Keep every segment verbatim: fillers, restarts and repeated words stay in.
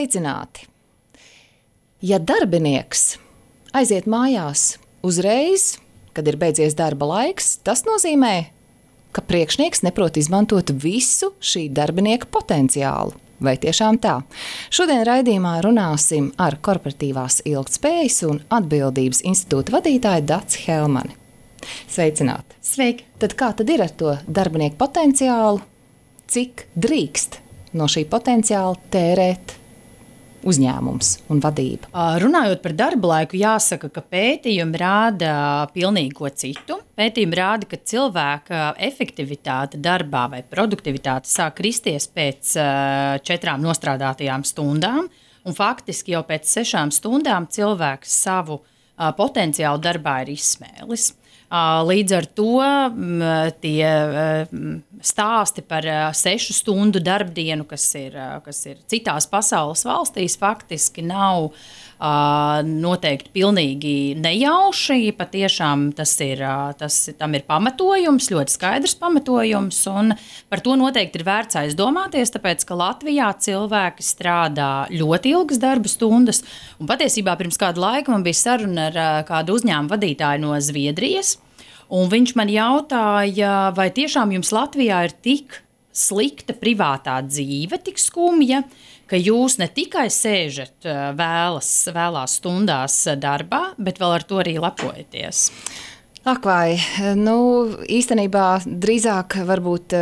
Sveicināti! Ja darbinieks aiziet mājās uzreiz, kad ir beidzies darba laiks, tas nozīmē, ka priekšnieks neprot izmantot visu šī darbinieka potenciālu. Vai tiešām tā? Šodien raidījumā runāsim ar korporatīvās ilgtspējas un atbildības institūta vadītāju Daci Helmani. Sveicināti! Sveiki! Tad kā tad ir ar to darbinieku potenciālu? Cik drīkst no šī potenciāla tērēt uzņēmums un vadība? Runājot par darba laiku, jāsaka, ka pētījumi rāda pilnīgi ko citu. Pētījumi rāda, ka cilvēka efektivitāte darbā vai produktivitāte sāk kristies pēc četrām nostrādātajām stundām, un faktiski jau pēc sešām stundām cilvēks savu potenciālu darbā ir izsmēlis. Līdz ar to tie stāsti par sešu stundu darbdienu, kas ir, kas ir citās pasaules valstīs, faktiski nav noteikti pilnīgi nejauši. Patiešām tas ir, tas, tam ir pamatojums, ļoti skaidrs pamatojums, un par to noteikti ir vērts aizdomāties, tāpēc, ka Latvijā cilvēki strādā ļoti ilgas darba stundas, un patiesībā pirms kādu laiku man bija saruna ar kādu uzņēmumu vadītāju no Zviedrijas, un viņš man jautāja, vai tiešām jums Latvijā ir tik slikta privātā dzīve, tik skumja, ka jūs ne tikai sēžat vēlas, vēlās stundās darbā, bet vēl ar to arī lepojaties. Ak vai, nu īstenībā drīzāk varbūt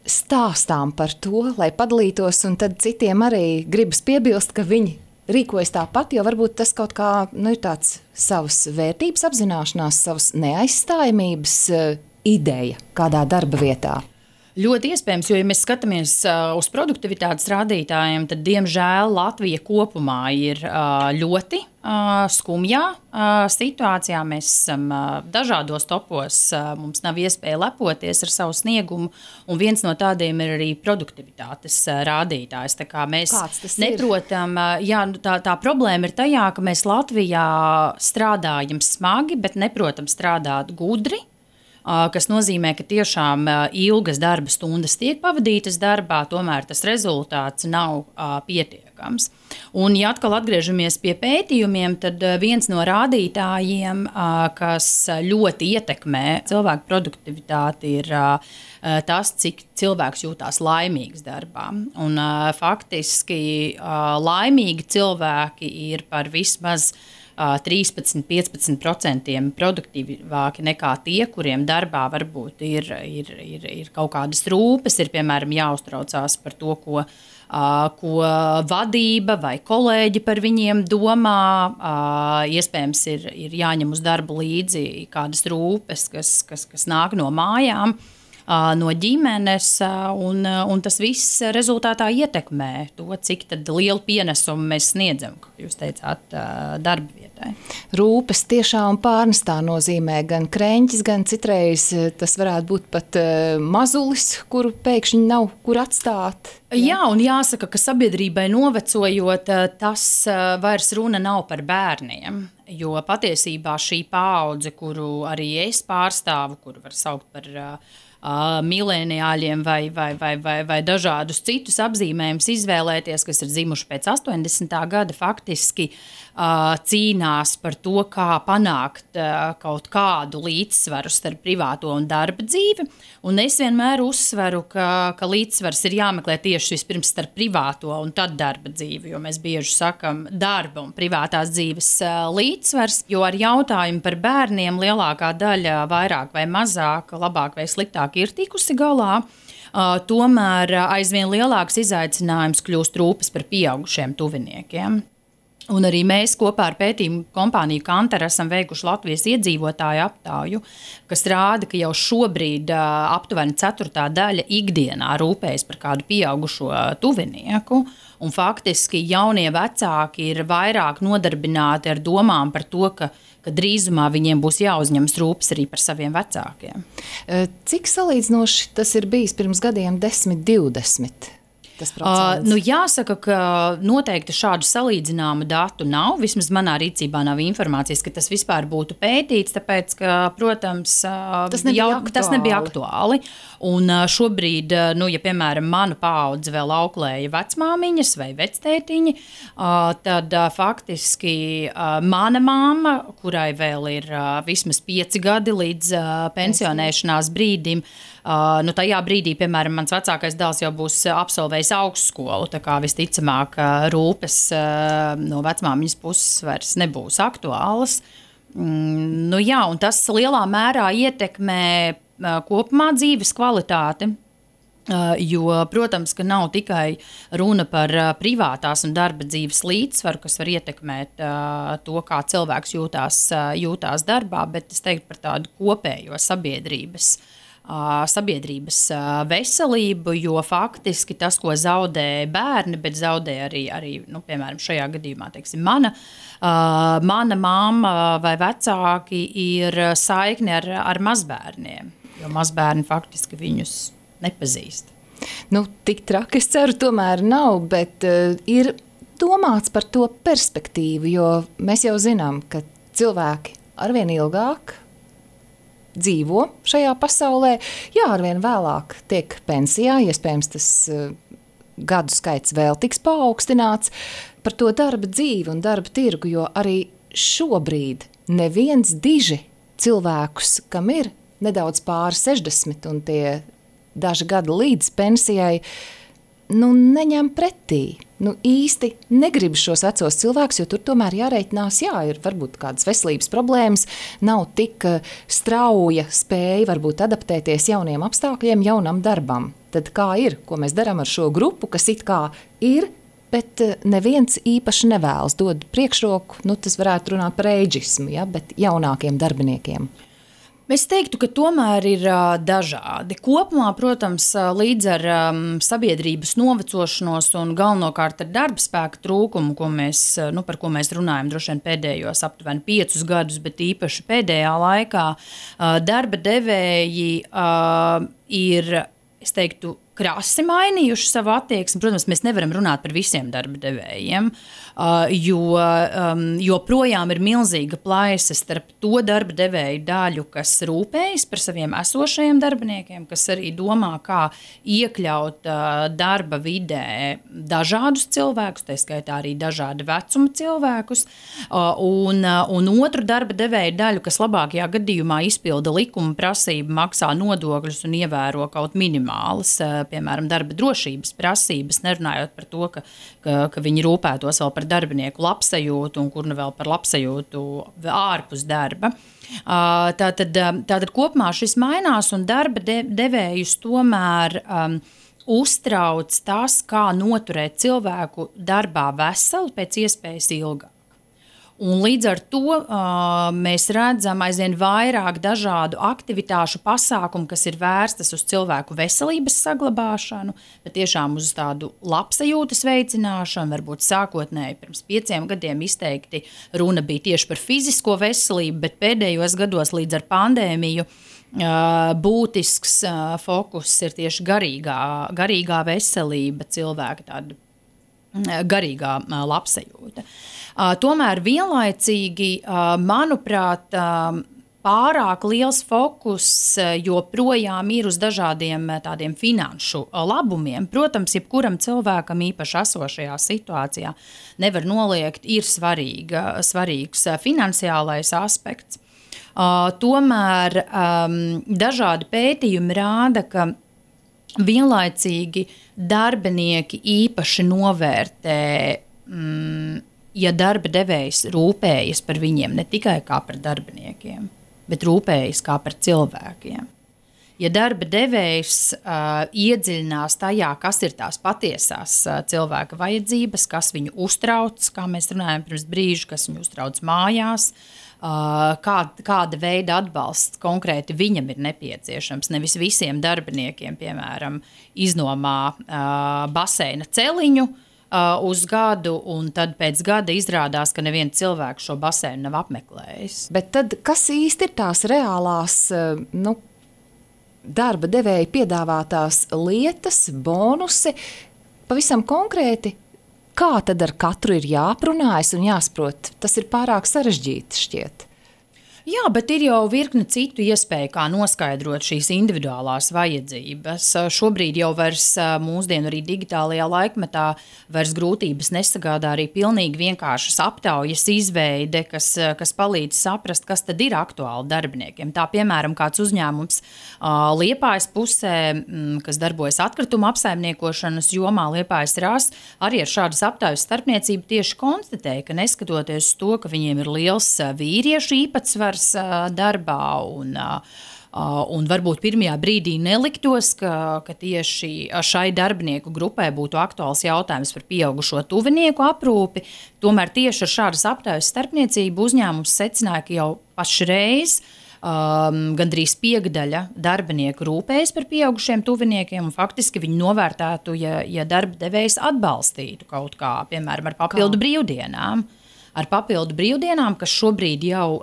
stāstām par to, lai padalītos, un tad citiem arī gribas piebilst, ka viņi rīkojas tāpat, jo varbūt tas kaut kā nu, ir tāds savas vērtības apzināšanās, savas neaizstājamības ideja kādā darba vietā. Ļoti iespējams, jo, ja mēs skatāmies uh, uz produktivitātes rādītājiem, tad, diemžēl, Latvija kopumā ir uh, ļoti uh, skumjā uh, situācijā. Mēs esam uh, dažādos topos, uh, mums nav iespēja lepoties ar savu sniegumu, un viens no tādiem ir arī produktivitātes uh, rādītājs. Tā kā mēs neprotam, uh, jā, tā, tā problēma ir tajā, ka mēs Latvijā strādājam smagi, bet neprotam strādāt gudri, kas nozīmē, ka tiešām ilgas darba stundas tiek pavadītas darbā, tomēr tas rezultāts nav uh, pietiekams. Un, ja atkal atgriežamies pie pētījumiem, tad viens no rādītājiem, uh, kas ļoti ietekmē cilvēku produktivitāti, ir uh, tas, cik cilvēks jūtās laimīgs darbā. Un, uh, faktiski uh, laimīgi cilvēki ir par vismaz trīspadsmit līdz piecpadsmit procentiem produktīvāki nekā tie, kuriem darbā varbūt ir, ir, ir, ir kaut kādas rūpes, ir piemēram jāuztraucās par to, ko, ko vadība vai kolēģi par viņiem domā. Iespējams ir, ir jāņem uz darbu līdzi kādas rūpes, kas, kas, kas nāk no mājām, no ģimenes, un, un tas viss rezultātā ietekmē to, cik tad lielu pienesumu mēs sniedzam, kā jūs teicāt, darba vietai. Rūpes tiešām pārnestā nozīmē gan kreņķis, gan citreiz tas varētu būt pat mazulis, kuru pēkšņi nav kur atstāt. Jā, un jāsaka, ka sabiedrībai novecojot, tas vairs runa nav par bērniem, jo patiesībā šī paudze, kuru arī es pārstāvu, kuru var saukt par Uh, mileniāļiem vai, vai, vai, vai, vai dažādus citus apzīmējumus izvēlēties, kas ir dzimuši pēc astoņdesmitā gada, faktiski uh, cīnās par to, kā panākt uh, kaut kādu līdzsvaru starp privāto un darba dzīvi. Un es vienmēr uzsveru, ka, ka līdzsvars ir jāmeklē tieši vispirms starp privāto un tad darba dzīvi, jo mēs bieži sakam darba un privātās dzīves uh, līdzsvars, jo ar jautājumu par bērniem lielākā daļa vairāk vai mazāk, labāk vai sliktāk ir tikusi galā, uh, tomēr aizvien lielāks izaicinājums kļūst rūpes par pieaugušiem tuviniekiem. Un arī mēs kopā ar pētījumu kompāniju Kantar esam veikuši Latvijas iedzīvotāju aptauju, kas rāda, ka jau šobrīd uh, aptuveni ceturtā daļa ikdienā rūpējas par kādu pieaugušo tuvinieku, un faktiski jaunie vecāki ir vairāk nodarbināti ar domām par to, ka ka drīzumā viņiem būs jāuzņemas rūpes arī par saviem vecākiem. Cik salīdzinoši tas ir bijis pirms gadiem desmit, divdesmit? tas procents? Uh, nu jāsaka, ka noteikti šādu salīdzināmu datu nav. Vismaz manā rīcībā nav informācijas, ka tas vispār būtu pētīts, tāpēc, ka, protams, tas nebija, jau, aktuāli. Tas nebija aktuāli. Un šobrīd, nu, ja, piemēram, manu paudzi vēl auklēja vecmāmiņas vai vectētiņi, tad faktiski mana mamma, kurai vēl ir vismaz pieci gadi līdz pensionēšanās brīdim, Uh, nu, tajā brīdī, piemēram, mans vecākais dēls jau būs absolvējis augstskolu, tā kā visticamāk rūpes uh, no vecmāmiņas puses vairs nebūs aktuālas. Mm, nu, jā, un tas lielā mērā ietekmē uh, kopumā dzīves kvalitāti. Uh, jo, protams, ka nav tikai runa par uh, privātās un darba dzīves līdzsvaru, kas var ietekmēt uh, to, kā cilvēks jūtās, uh, jūtās darbā, bet es teiktu par tādu kopējo sabiedrības sabiedrības veselību, jo faktiski tas, ko zaudē bērni, bet zaudē arī, arī nu, piemēram, šajā gadījumā, teiksim, mana, mana mamma vai vecāki ir saikni ar, ar mazbērniem, jo mazbērni faktiski viņus nepazīst. Nu, tik traki es ceru tomēr nav, bet uh, ir domāts par to perspektīvu, jo mēs jau zinām, ka cilvēki arvien ilgāk dzīvo šajā pasaulē, jā, arvien vēlāk tiek pensijā, iespējams tas uh, gadu skaits vēl tiks paaugstināts par to darba dzīvi un darba tirgu, jo arī šobrīd neviens diži cilvēkus, kam ir nedaudz pāri sešdesmit un tie daži gadi līdz pensijai, nu neņem pretī. Nu, īsti negrib šos vecos cilvēkus, jo tur tomēr jāreitinās, jā, ir varbūt kādas veselības problēmas, nav tik strauja spēja varbūt adaptēties jauniem apstākļiem, jaunam darbam. Tad kā ir, ko mēs darām ar šo grupu, kas it kā ir, bet neviens īpaši nevēlas dod priekšroku, nu tas varētu runāt par eidžismu, ja, bet jaunākiem darbiniekiem. Es teiktu, ka tomēr ir uh, dažādi. Kopumā, protams, uh, līdz ar um, sabiedrības novecošanos un galvenokārt ar darba spēka trūkumu, ko mēs, uh, nu, par ko mēs runājam droši vien pēdējos aptuveni piecus gadus, bet īpaši pēdējā laikā, uh, darba devēji uh, ir, es teiktu, krasi mainījuši savu attieksmi. Protams, mēs nevaram runāt par visiem darba devējiem, uh, jo um, joprojām ir milzīga plaisa starp to darba devēju daļu, kas rūpējas par saviem esošajiem darbiniekiem, kas arī domā, kā iekļaut uh, darba vidē dažādus cilvēkus, tā skaitā arī dažāda vecuma cilvēkus, uh, un, uh, un otru darba devēju daļu, kas labākajā gadījumā izpilda likuma prasību, maksā nodokļus un ievēro kaut minimālas uh, piemēram, darba drošības prasības, nerunājot par to, ka, ka, ka viņi rūpētos vēl par darbinieku labsajūtu un kur nu vēl par labsajūtu ārpus darba. Tātad, tātad kopumā šis mainās un darba de, devējus tomēr um, uztrauc tas, kā noturēt cilvēku darbā veselu pēc iespējas ilgāk. Un līdz ar to uh, mēs redzam aizvien vairāk dažādu aktivitāšu pasākumu, kas ir vērstas uz cilvēku veselības saglabāšanu, bet tiešām uz tādu labsajūtas veicināšanu, varbūt sākotnēji pirms pieciem gadiem izteikti runa bija tieši par fizisko veselību, bet pēdējos gados līdz ar pandēmiju uh, būtisks uh, fokus ir tieši garīgā, garīgā veselība, cilvēka tāda garīgā uh, labsajūta. Uh, tomēr vienlaicīgi, uh, manuprāt, uh, pārāk liels fokus uh, joprojām ir uz dažādiem uh, tādiem finanšu uh, labumiem. Protams, jebkuram cilvēkam īpaši esošajā situācijā nevar noliegt, ir svarīga, svarīgs uh, finansiālais aspekts. Uh, tomēr um, dažādi pētījumi rāda, ka vienlaicīgi darbinieki īpaši novērtē, mm, ja darba devējs rūpējas par viņiem ne tikai kā par darbiniekiem, bet rūpējas kā par cilvēkiem. Ja darba devējs uh, iedziļinās tajā, kas ir tās patiesās uh, cilvēka vajadzības, kas viņu uztrauc, kā mēs runājam pirms brīža, kas viņu uztrauc mājās, uh, kā, kāda veida atbalsts konkrēti viņam ir nepieciešams. Nevis visiem darbiniekiem, piemēram, iznomā uh, baseina celiņu uh, uz gadu, un tad pēc gada izrādās, ka neviens cilvēks šo baseinu nav apmeklējis. Bet tad, kas īsti ir tās reālās, uh, nu, darba devēja piedāvātās lietas, bonusi, pavisam konkrēti, kā tad ar katru ir jāprunājas un jāsaprot? Tas ir pārāk sarežģīti šķiet. Jā, bet ir jau virkne citu iespēju, kā noskaidrot šīs individuālās vajadzības. Šobrīd jau vairs mūsdienu arī digitālajā laikmetā vairs grūtības nesagādā arī pilnīgi vienkāršas aptaujas izveide, kas, kas palīdz saprast, kas tad ir aktuāli darbiniekiem. Tā, piemēram, kāds uzņēmums Liepājas pusē, kas darbojas atkrituma apsaimniekošanas jomā, Liepājas RAS, arī ar šādas aptaujas starpniecību tieši konstatēja, ka neskatoties uz to, ka viņiem ir liels vīriešu īpatsvars darbā un, un varbūt pirmajā brīdī neliktos, ka, ka tieši šai darbinieku grupai būtu aktuāls jautājums par pieaugušo tuvinieku aprūpi. Tomēr tieši ar šādas aptaujas starpniecību uzņēmums secināja, ka jau pašreiz um, gandrīz piekdaļa darbinieku rūpējas par pieaugušiem tuviniekiem, un faktiski viņi novērtētu, ja, ja darba devējs atbalstītu kaut kā, piemēram, ar papildu kā? brīvdienām. Ar papildu brīvdienām, kas šobrīd jau,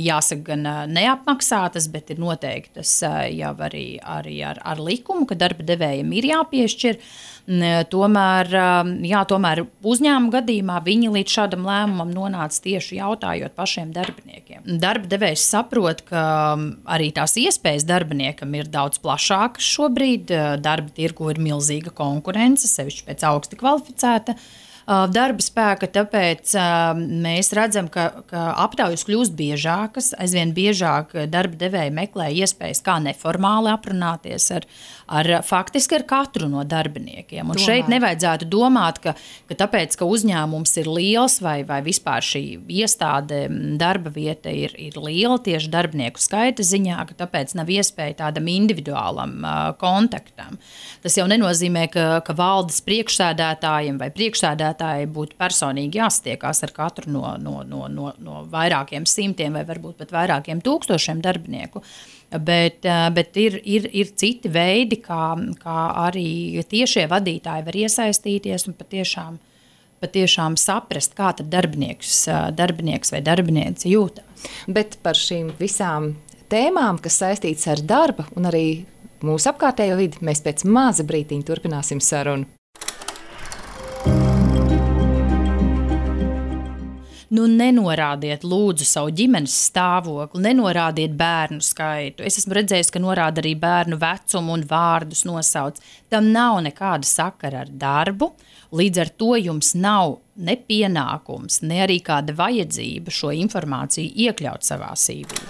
jāsaka, gan neapmaksātas, bet ir noteiktas jau arī, arī ar, ar likumu, ka darba devējiem ir jāpiešķir. Tomēr, jā, tomēr uzņēmuma gadījumā viņi līdz šādam lēmumam nonāca tieši jautājot pašiem darbiniekiem. Darba devējs saprot, ka arī tās iespējas darbiniekam ir daudz plašākas šobrīd. Darba tirgu ir milzīga konkurence, sevišķi pēc augsti kvalificēta darba spēka, tāpēc mēs redzam, ka, ka aptaujas kļūst biežākas, aizvien biežāk darba devēji meklē iespējas, kā neformāli aprunāties ar, ar faktiski ar katru no darbiniekiem. Un Domāju. Šeit nevajadzētu domāt, ka, ka tāpēc, ka uzņēmums ir liels vai, vai vispār šī iestāde darba vieta ir, ir liela tieši darbinieku skaita ziņā, ka tāpēc nav iespēja tādam individuālam uh, kontaktam. Tas jau nenozīmē, ka, ka valdes priekšsēdētājiem vai priekšsēdētājiem būtu personīgi jāstiekās ar katru no, no, no, no, no vairākiem simtiem vai varbūt pat vairākiem tūkstošiem darbinieku. Bet, bet ir, ir, ir citi veidi, kā, kā arī tiešie vadītāji var iesaistīties un patiešām, patiešām saprast, kā tad darbinieks, darbinieks vai darbiniece jūtās. Bet par šīm visām tēmām, kas saistītas ar darbu un arī mūsu apkārtējo vidi, mēs pēc maza brītiņa turpināsim sarunu. Nu, nenorādiet lūdzu savu ģimenes stāvokli, nenorādiet bērnu skaitu. Es esmu redzējis, ka norāda arī bērnu vecumu un vārdus nosauc. Tam nav nekāda sakara ar darbu, līdz ar to jums nav ne pienākums, ne arī kāda vajadzība šo informāciju iekļaut savā C V.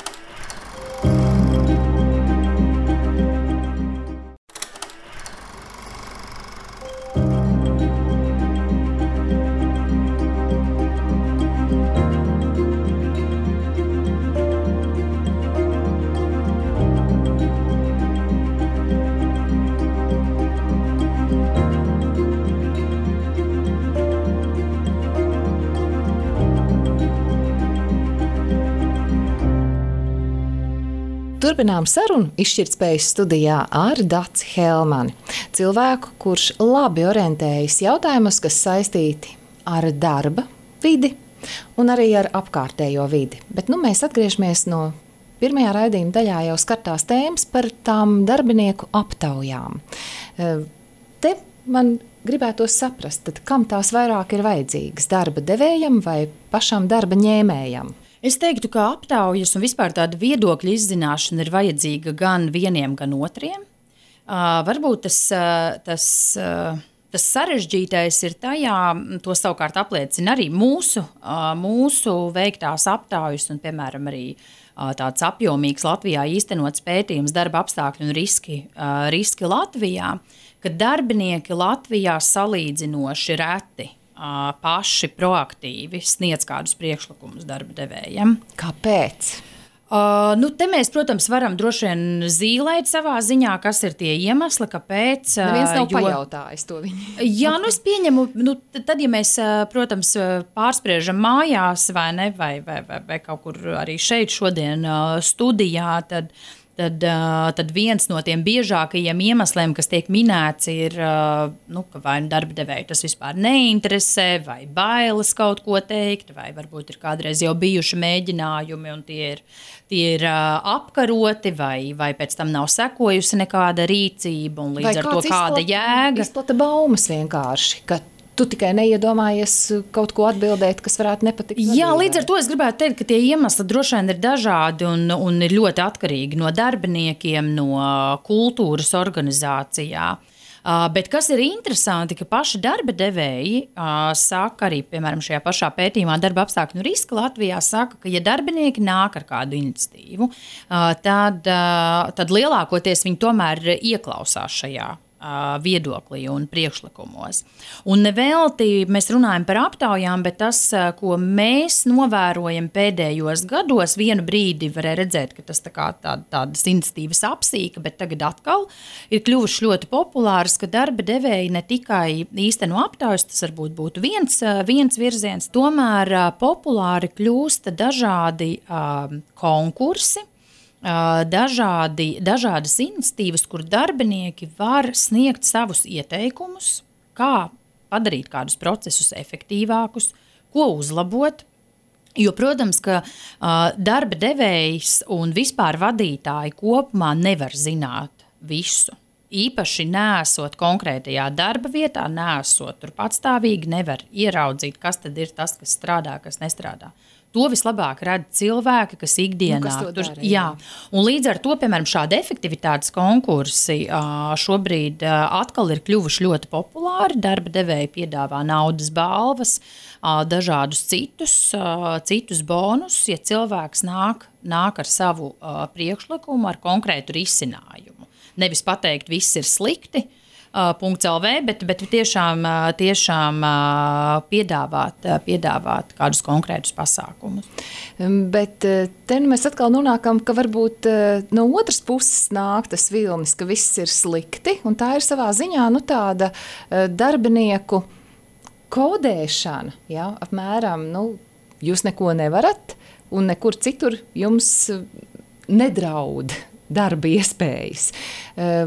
Turpinām sarunu izšķirtspējas studijā ar Daci Helmani, cilvēku, kurš labi orientējas jautājumos, kas saistīti ar darba vidi un arī ar apkārtējo vidi. Bet nu, mēs atgriežamies no pirmajā raidījuma daļā jau skartās tēmas par tām darbinieku aptaujām. Te man gribētos saprast, tad kam tās vairāk ir vajadzīgas, darba devējam vai pašam darba ņēmējam? Es teiktu, ka aptaujas un vispār tāda viedokļa izzināšana ir vajadzīga gan vieniem, gan otriem. Uh, varbūt tas, uh, tas, uh, tas sarežģītais ir tajā, to savukārt apliecina arī mūsu, uh, mūsu veiktās aptaujas un, piemēram, arī uh, tāds apjomīgs Latvijā īstenots pētījums darba apstākļu un riski, uh, riski Latvijā, ka darbinieki Latvijā salīdzinoši reti paši proaktīvi sniedz kādus priekšlikumus darba devējiem. Kāpēc? Uh, nu, te mēs, protams, varam droši vien zīlēt savā ziņā, kas ir tie iemesli, kāpēc. Neviens nav jo, pajautājis to viņi. Jā, nu es pieņemu, nu, tad, ja mēs, protams, pārspriežam mājās vai ne, vai, vai, vai, vai kaut kur arī šeit šodien studijā, tad tad, tad viens no tiem biežākajiem iemesliem, kas tiek minēts, ir, nu, ka vai nu darba devēju tas vispār neinteresē, vai bailes kaut ko teikt, vai varbūt ir kādreiz jau bijuši mēģinājumi un tie ir, tie ir apkaroti, vai, vai pēc tam nav sekojusi nekāda rīcība un līdz vai ar to kāda izplata, jēga. Izplata baumas vienkārši, ka tu tikai neiedomājies kaut ko atbildēt, kas varētu nepatikt. Jā, līdz ar to es gribētu teikt, ka tie iemesli droši vien ir dažādi un, un ir ļoti atkarīgi no darbiniekiem, no kultūras organizācijā. Uh, bet kas ir interesanti, ka paši darba devēji uh, saka arī, piemēram, šajā pašā pētījumā darba apstākļu riska Latvijā saka, ka ja darbinieki nāk ar kādu iniciatīvu, uh, tad, uh, tad lielākoties viņi tomēr ieklausās šajā viedoklī un priekšlikumos. Un nevelti mēs runājam par aptaujām, bet tas, ko mēs novērojam pēdējos gados, vienu brīdi varēja redzēt, ka tas tā kā tā, tādas iniciatīvas apsīka, bet tagad atkal ir kļuvuši ļoti populāras, ka darba devēji ne tikai īsteno aptaujas, tas varbūt būtu viens, viens virziens, tomēr populāri kļūst dažādi uh, konkursi, Dažādi, dažādas iniciatīvas, kur darbinieki var sniegt savus ieteikumus, kā padarīt kādus procesus efektīvākus, ko uzlabot. Jo, protams, ka uh, darba devējs un vispār vadītāji kopumā nevar zināt visu. Īpaši nesot konkrētajā darba vietā, nesot tur patstāvīgi, nevar ieraudzīt, kas tad ir tas, kas strādā, kas nestrādā. To vislabāk redz cilvēki, kas ikdienā nu, kas tur dara, jā. Jā. Un līdz ar to, piemēram, šādi efektivitātes konkursi šobrīd atkal ir kļuvuši ļoti populāri. Darba devēji piedāvā naudas balvas, dažādus citus, citus bonus, ja cilvēks nāk, nāk ar savu priekšlikumu, ar konkrētu risinājumu. Nevis pateikt, viss ir slikti, .lv, bet, bet tiešām, tiešām piedāvāt, piedāvāt kādus konkrētus pasākumus. Bet te mēs atkal nonākam, ka varbūt no otras puses nāk tas vilnis, ka viss ir slikti, un tā ir savā ziņā nu, tāda darbinieku kodēšana. Ja? Apmēram, nu, jūs neko nevarat, un nekur citur jums nedraud darba iespējas.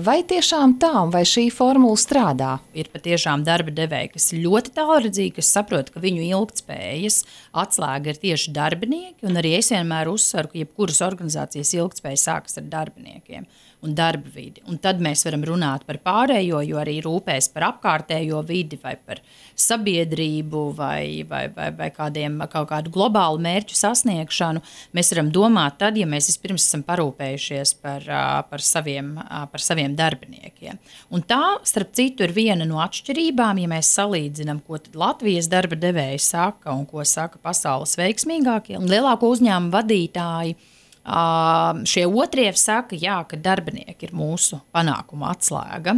Vai tiešām tā, un vai šī formula strādā? Ir patiešām darba devēji, kas ir ļoti tālredzīgi, kas saprot, ka viņu ilgtspējas atslēga ir tieši darbinieki, un arī es vienmēr uzsveru, ka jebkuras organizācijas ilgtspēja sākas ar darbiniekiem un darba vidi. Un tad mēs varam runāt par pārējo, jo arī rūpēs par apkārtējo vidi vai par sabiedrību vai, vai, vai, vai kādiem, kaut kādu globālu mērķu sasniegšanu. Mēs varam domāt tad, ja mēs vispirms esam parūpējušies par, par, saviem, par saviem darbiniekiem. Un tā, starp citu, ir viena no atšķirībām, ja mēs salīdzinām, ko tad Latvijas darba devēji saka un ko saka pasaules veiksmīgākie. Un lielāko uzņēmumu vadītāji Uh, šie otrie saka, jā, ka darbinieki ir mūsu panākuma atslēga.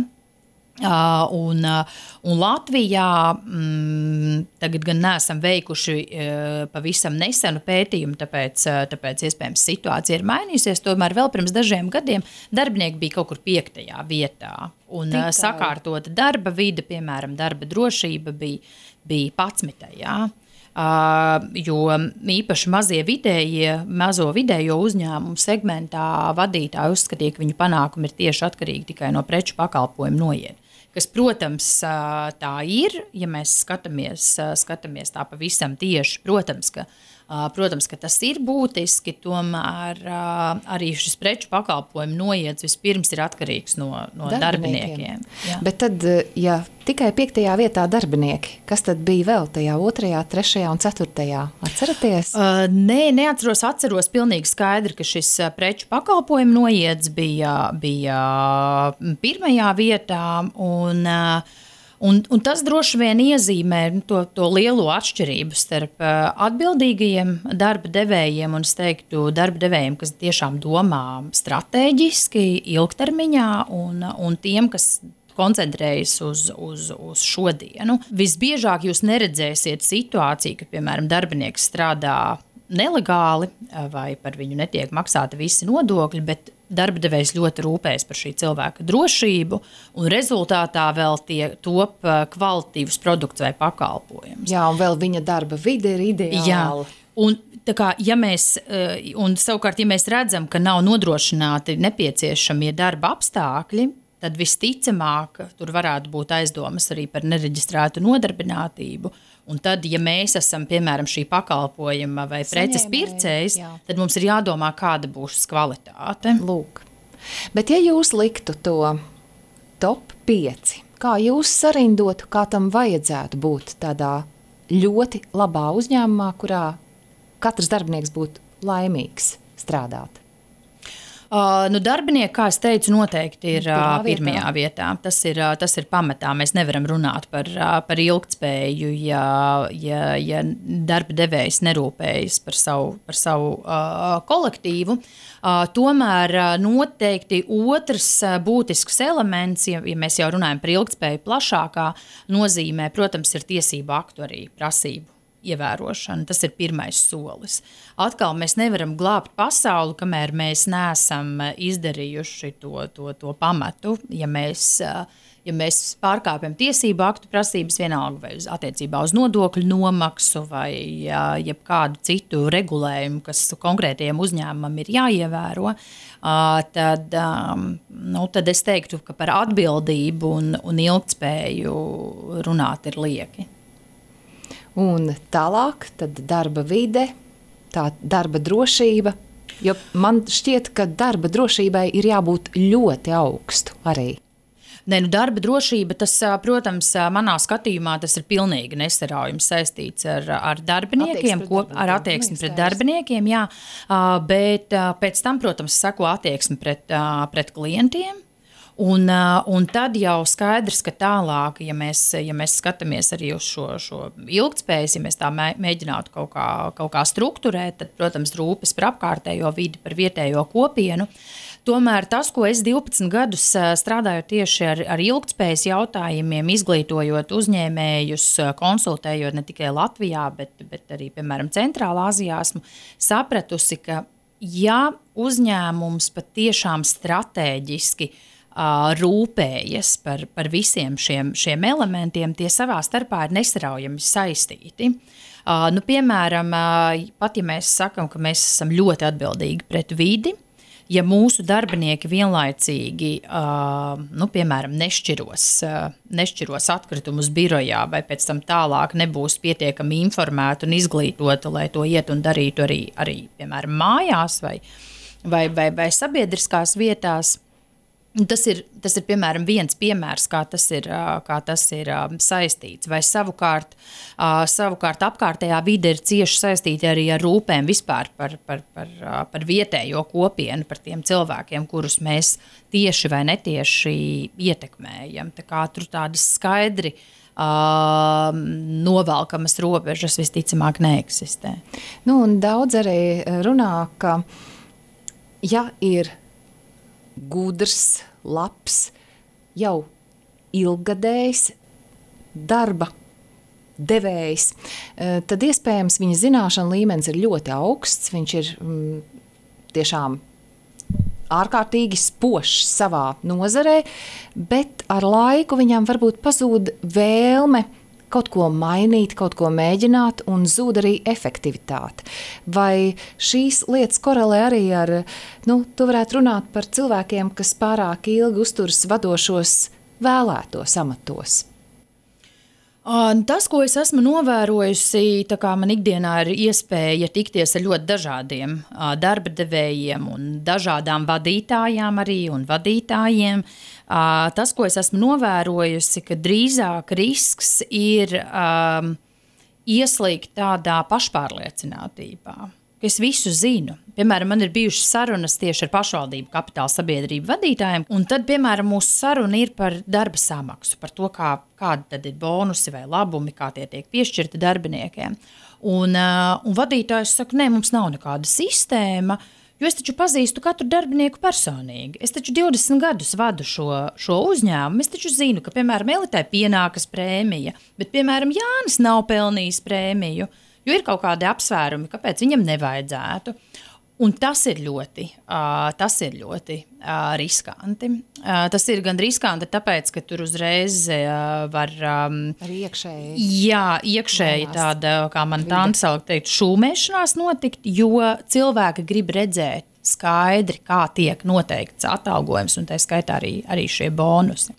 Uh, un, uh, un Latvijā mm, tagad gan neesam veikuši uh, pavisam nesenu pētījumu, tāpēc, uh, tāpēc iespējams situācija ir mainījusies. Tomēr vēl pirms dažiem gadiem darbinieki bija kaut kur piektajā vietā. Un uh, sakārtota darba vide, piemēram, darba drošība bija, bija padsmitajā. Uh, jo īpaši mazie vidējie, mazo vidējo uzņēmumu segmentā vadītāji uzskatīja, ka viņu panākumi ir tieši atkarīgi tikai no preču pakalpojumu noiet. Kas, protams, uh, tā ir, ja mēs skatāmies, uh, skatāmies tā pavisam tieši, protams, ka Uh, protams, ka tas ir būtiski, tomēr uh, arī šis preču pakalpojumu noiets vispirms ir atkarīgs no, no darbiniekiem. darbiniekiem. Bet tad, ja tikai piektajā vietā darbinieki, kas tad bija vēl tajā otrajā, trešajā un ceturtajā? Atceraties? Uh, nē, neatceros, atceros pilnīgi skaidri, ka šis preču pakalpojumu noiets bija, bija pirmajā vietā un uh, Un, un tas droši vien iezīmē to, to lielo atšķirību starp uh, atbildīgajiem darba devējiem un, es teiktu, darba devējiem, kas tiešām domā stratēģiski, ilgtermiņā, un, un tiem, kas koncentrējas uz, uz, uz šodienu. Visbiežāk jūs neredzēsiet situāciju, ka, piemēram, darbinieks strādā nelegāli vai par viņu netiek maksāti visi nodokļi, bet darba devējs ļoti rūpējas par šī cilvēka drošību, un rezultātā vēl tie top kvalitatīvs produkts vai pakalpojums. Jā, un vēl viņa darba vide ir ideāla. Jā, un Tā kā, ja mēs, un savukārt, ja mēs redzam, ka nav nodrošināti nepieciešamie darba apstākļi, tad visticamāk tur varētu būt aizdomas arī par nereģistrētu nodarbinātību. Un tad, ja mēs esam, piemēram, šī pakalpojuma vai preces pircējs, tad mums ir jādomā, kāda būs kvalitāte. Lūk. Bet ja jūs liktu to top pieci, kā jūs sarindotu, kā tam vajadzētu būt tādā ļoti labā uzņēmumā, kurā katrs darbinieks būtu laimīgs strādāt? Uh, nu, darbinieki, kā es teicu, noteikti ir uh, pirmajā vietā. Tas ir, uh, tas ir pamatā. Mēs nevaram runāt par, uh, par ilgtspēju, ja, ja, ja darba devējs nerūpējas par savu, par savu uh, kolektīvu. Uh, tomēr uh, noteikti otrs uh, būtisks elements, ja, ja mēs jau runājam par ilgtspēju plašākā nozīmē, protams, ir tiesību aktu arī prasību ievērošana. Tas ir pirmais solis. Atkal mēs nevaram glābt pasauli, kamēr mēs neesam izdarījuši to, to, to pamatu. Ja mēs, ja mēs pārkāpjam tiesību aktu prasības vienalga vai attiecībā uz nodokļu nomaksu vai jebkādu citu regulējumu, kas konkrētajiem uzņēmumam ir jāievēro, tad, nu, tad es teiktu, ka par atbildību un, un ilgtspēju runāt ir lieki. Un tālāk, tad darba vide, tā darba drošība, jo man šķiet, ka darba drošībai ir jābūt ļoti augstu arī. Ne, nu darba drošība, tas, protams, manā skatījumā tas ir pilnīgi nesaraujami saistīts ar, ar darbiniekiem, ko, ar attieksmi pret darbiniekiem, jā, bet pēc tam, protams, seko attieksmi pret, pret klientiem. Un, un tad jau skaidrs, ka tālāk, ja mēs, ja mēs skatāmies arī uz šo, šo ilgtspējas, ja mēs tā mēģinātu kaut kā, kaut kā strukturēt, tad, protams, rūpes par apkārtējo vidi, par vietējo kopienu. Tomēr tas, ko es divpadsmit gadus strādāju tieši ar, ar ilgtspējas jautājumiem, izglītojot uzņēmējus, konsultējot ne tikai Latvijā, bet, bet arī, piemēram, Centrālā Azijā, esmu sapratusi, ka ja uzņēmums patiešām stratēģiski rūpējas par, par visiem šiem, šiem elementiem, tie savā starpā ir nesaraujami saistīti. Uh, nu, piemēram, uh, pat ja mēs sakam, ka mēs esam ļoti atbildīgi pret vidi, ja mūsu darbinieki vienlaicīgi, uh, nu, piemēram, nešķiros, uh, nešķiros atkritumus birojā vai pēc tam tālāk nebūs pietiekami informēti un izglītoti, lai to iet un darītu arī, arī piemēram, mājās vai, vai, vai, vai sabiedriskās vietās. Tas ir, tas ir, piemēram, viens piemērs, kā tas ir, kā tas ir saistīts. Vai savukārt, savukārt apkārtējā vide ir cieši saistīta arī ar rūpēm vispār par, par, par, par vietējo kopienu, par tiem cilvēkiem, kurus mēs tieši vai netieši ietekmējam. Tā kā tur tādas skaidri uh, novelkamas robežas visticamāk neeksistē. Nu, un daudz arī runā, ka ja ir gudrs, labs, jau ilggadējs darba devējs, tad iespējams viņa zināšana līmenis ir ļoti augsts, viņš ir mm, tiešām ārkārtīgi spožs savā nozarē, bet ar laiku viņam varbūt pazūd vēlme kaut ko mainīt, kaut ko mēģināt, un zūd arī efektivitāte. Vai šīs lietas korelē arī ar, nu, tu varētu runāt par cilvēkiem, kas pārāk ilgi uzturas vadošos vēlētos amatos? Tas, ko es esmu novērojusi, tā kā man ikdienā ir iespēja tikties ar ļoti dažādiem darba devējiem un dažādām vadītājām arī un vadītājiem, tas, ko es esmu novērojusi, ka drīzāk risks ir um, ieslīgt tādā pašpārliecinātībā, ka es visu zinu. Piemēram, man ir bijušas sarunas tieši ar pašvaldību kapitāla sabiedrību vadītājiem, un tad, piemēram, mūsu saruna ir par darba samaksu, par to, kā, kādi tad ir bonusi vai labumi, kā tie tiek piešķirti darbiniekiem. Un, uh, un vadītājs saka, nē, mums nav nekāda sistēma, jo es taču pazīstu katru darbinieku personīgi. Es taču divdesmit gadus vadu šo, šo uzņēmumu, es taču zinu, ka, piemēram, Elitai pienākas prēmija, bet, piemēram, Jānis nav pelnījis prēmiju, jo ir kaut kādi apsvērumi, kāpēc viņam nevajadzētu. Un tas ir ļoti, uh, tas ir ļoti uh, riskanti. Uh, tas ir gan riskanti, tāpēc, ka tur uzreiz uh, var... Um, Arī iekšēji. Jā, iekšēji tāda, kā man tante salak teikt, šūmēšanās notikt, jo cilvēki grib redzēt skaidri, kā tiek noteikts atalgojums, un tā skaitā arī, arī šie bonusi.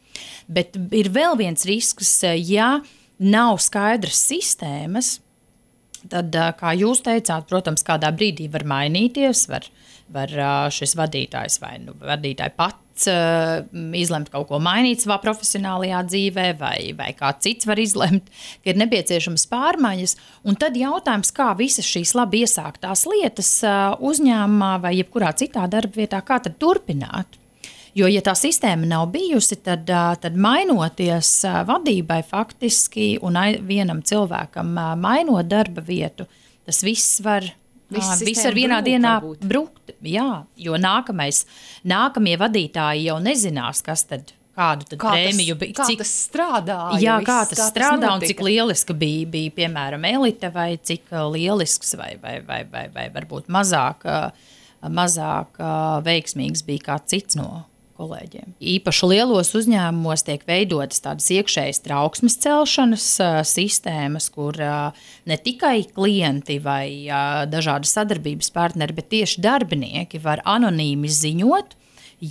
Bet ir vēl viens risks, ja nav skaidras sistēmas, tad, kā jūs teicāt, protams, kādā brīdī var mainīties, var, var šis vadītājs vai nu, vadītāji pats uh, izlemt kaut ko mainīt savā profesionālajā dzīvē, vai, vai kāds cits var izlemt, ka ir nepieciešamas pārmaiņas. Un tad jautājums, kā visas šīs labi iesāktās lietas uh, uzņēmumā vai jebkurā citā darba vietā, kā tad turpināt? Jo, ja tā sistēma nav bijusi, tad, tad mainoties vadībai faktiski un vienam cilvēkam mainot darba vietu, tas viss var, viss viss var vienā brūk, dienā varbūt. brukt. Jā, jo nākamais, nākamie vadītāji jau nezinās, kas tad, kādu tad kā prēmiju tas, kā cik, tas strādāja. Jā, viss, kā tas kā strādā tas un cik lieliski bija, bija, piemēram, elite vai cik lielisks vai, vai, vai, vai, vai varbūt mazāk, mazāk veiksmīgs bija kā cits no kolēģiem. Īpaši lielos uzņēmumos tiek veidotas tādas iekšējas trauksmes celšanas uh, sistēmas, kur uh, ne tikai klienti vai uh, dažādi sadarbības partneri, bet tieši darbinieki var anonīmi ziņot,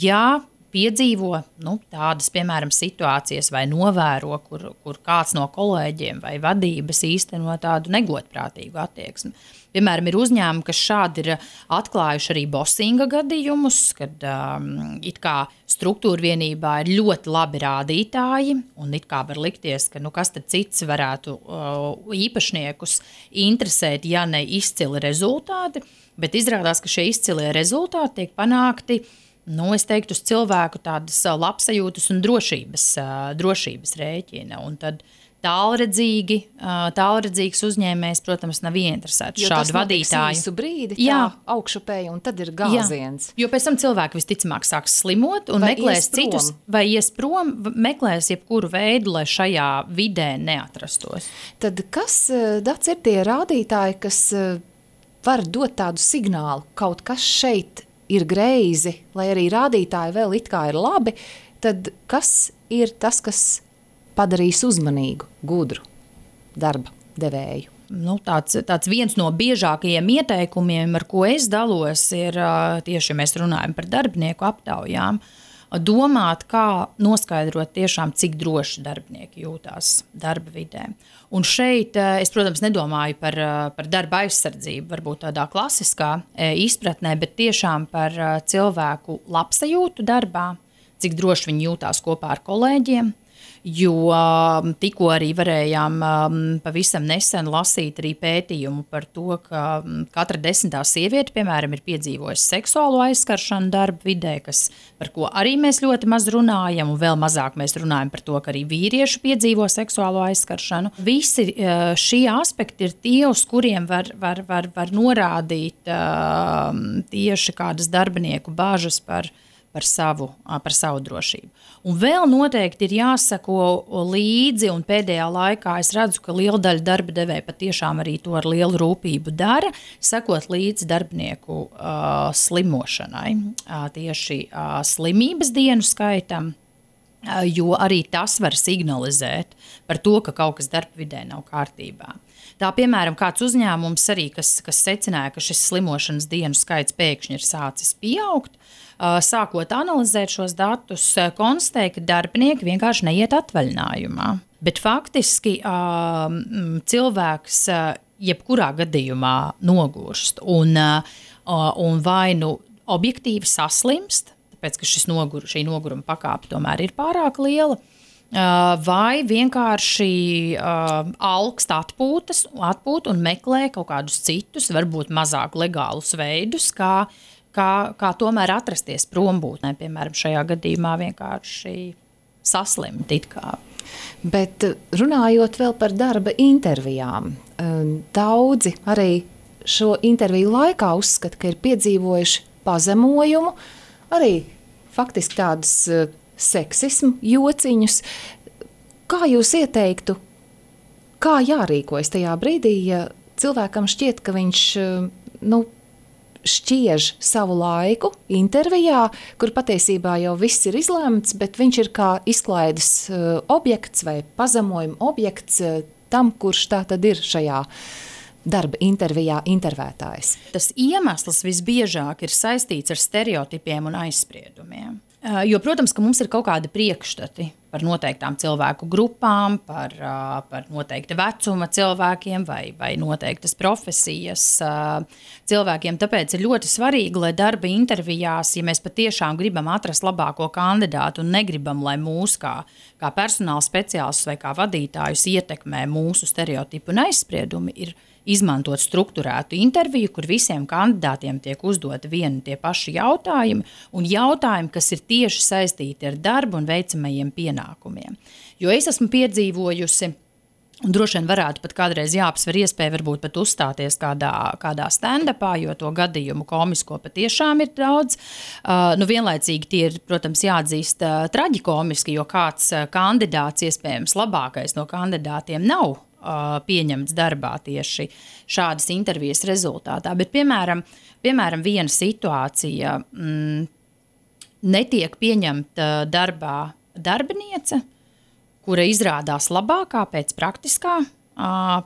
ja piedzīvo nu, tādas, piemēram, situācijas vai novēro, kur, kur kāds no kolēģiem vai vadības īsteno tādu negodprātīgu attieksmi. Piemēram, ir uzņēmumi, kas šādi ir atklājuši arī bosinga gadījumus, kad um, it kā struktūra vienībā ir ļoti labi rādītāji, un it kā var likties, ka nu, kas tad cits varētu uh, īpašniekus interesēt, ja ne izcili rezultāti, bet izrādās, ka šie izcilie rezultāti tiek panākti, nu, es teiktu, uz cilvēku tādas labsajūtas un drošības, uh, drošības rēķina, un tad tālredzīgi, tālredzīgs uzņēmējs, protams, nav ieinteresēts šādu vadītāju. Jo tas brīdi, jā. Tā augšupēja, un tad ir gāziens. Jā. Jo pēc tam cilvēki visticamāk sāks slimot un vai meklēs citus, vai ies prom, meklēs jebkuru veidu, lai šajā vidē neatrastos. Tad kas, Dats, ir tie rādītāji, kas var dot tādu signālu, kaut kas šeit ir greizi, lai arī rādītāji vēl it kā ir labi, tad kas ir tas, kas padarīs uzmanīgu, gudru darba devēju? Nu, tāds, tāds viens no biežākajiem ieteikumiem, ar ko es dalos, ir tieši, ja mēs runājam par darbinieku aptaujām, domāt, kā noskaidrot tiešām, cik droši darbinieki jūtās darba vidē. Un šeit es, protams, nedomāju par, par darba aizsardzību, varbūt tādā klasiskā izpratnē, bet tiešām par cilvēku labsajūtu darbā, cik droši viņi jūtās kopā ar kolēģiem. Jo tikko arī varējām pavisam nesen lasīt arī pētījumu par to, ka katra desmitā sieviete, piemēram, ir piedzīvojusi seksuālo aizskaršanu darba vidē, kas, par ko arī mēs ļoti maz runājam, un vēl mazāk mēs runājam par to, ka arī vīrieši piedzīvo seksuālo aizskaršanu. Visi šie aspekti ir tie, uz kuriem var, var, var, var norādīt tieši kādas darbinieku bāžas par Par savu, par savu drošību. Un vēl noteikti ir jāsako līdzi, un pēdējā laikā es redzu, ka liela daļa darba devēja patiešām arī to ar lielu rūpību dara, sekot līdzi darbinieku uh, slimošanai, uh, tieši uh, slimības dienu skaitam, uh, jo arī tas var signalizēt par to, ka kaut kas darba vidē nav kārtībā. Tā, piemēram, kāds uzņēmums arī, kas, kas secināja, ka šis slimošanas dienu skaits pēkšņi ir sācis pieaugt, sākot analizēt šos datus, konstatēja, ka darbinieki vienkārši neiet atvaļinājumā. Bet faktiski cilvēks jebkurā gadījumā nogurst un, un vai nu objektīvi saslimst, tāpēc, ka šis nogur, šī noguruma pakāpe tomēr ir pārāk liela, vai vienkārši alkst atpūtas, atpūt un meklē kaut kādus citus, varbūt mazāk legālus veidus, kā Kā, kā tomēr atrasties prombūtnē, piemēram, šajā gadījumā vienkārši saslimt it kā. Bet runājot vēl par darba intervijām, daudzi arī šo interviju laikā uzskata, ka ir piedzīvojuši pazemojumu, arī faktiski tādus seksismu jociņus. Kā jūs ieteiktu, kā jārīkojas tajā brīdī, ja cilvēkam šķiet, ka viņš, nu, šķiež savu laiku intervijā, kur patiesībā jau viss ir izlēmts, bet viņš ir kā izklaides uh, objekts vai pazemojuma objekts uh, tam, kurš tā tad ir šajā darba intervijā intervētājs. Tas iemesls visbiežāk ir saistīts ar stereotipiem un aizspriedumiem. Jo, protams, ka mums ir kaut kādi priekšstati par noteiktām cilvēku grupām, par, par noteikta vecuma cilvēkiem vai, vai noteiktas profesijas cilvēkiem. Tāpēc ir ļoti svarīgi, lai darba intervijās, ja mēs patiešām gribam atrast labāko kandidātu un negribam, lai mūs kā, kā personāla speciālistus vai kā vadītājus ietekmē mūsu stereotipi un aizspriedumi, ir izmantot strukturētu interviju, kur visiem kandidātiem tiek uzdoti vieni tie paši jautājumi un jautājumi, kas ir tieši saistīti ar darbu un veicamajiem pienākumiem. Jo es esmu piedzīvojusi, un droši vien varētu pat kādreiz jāapsver iespēju varbūt pat uzstāties kādā, kādā stand-upā, jo to gadījumu komisko patiešām ir daudz. Uh, nu vienlaicīgi tie ir, protams, jāatzīst uh, traģikomiski, jo kāds uh, kandidāts, iespējams labākais no kandidātiem nav pieņemts darbā tieši šādas intervijas rezultātā. Bet, piemēram, piemēram viena situācija mm, netiek pieņemta darbā darbiniece, kura izrādās labākā pēc praktiskā,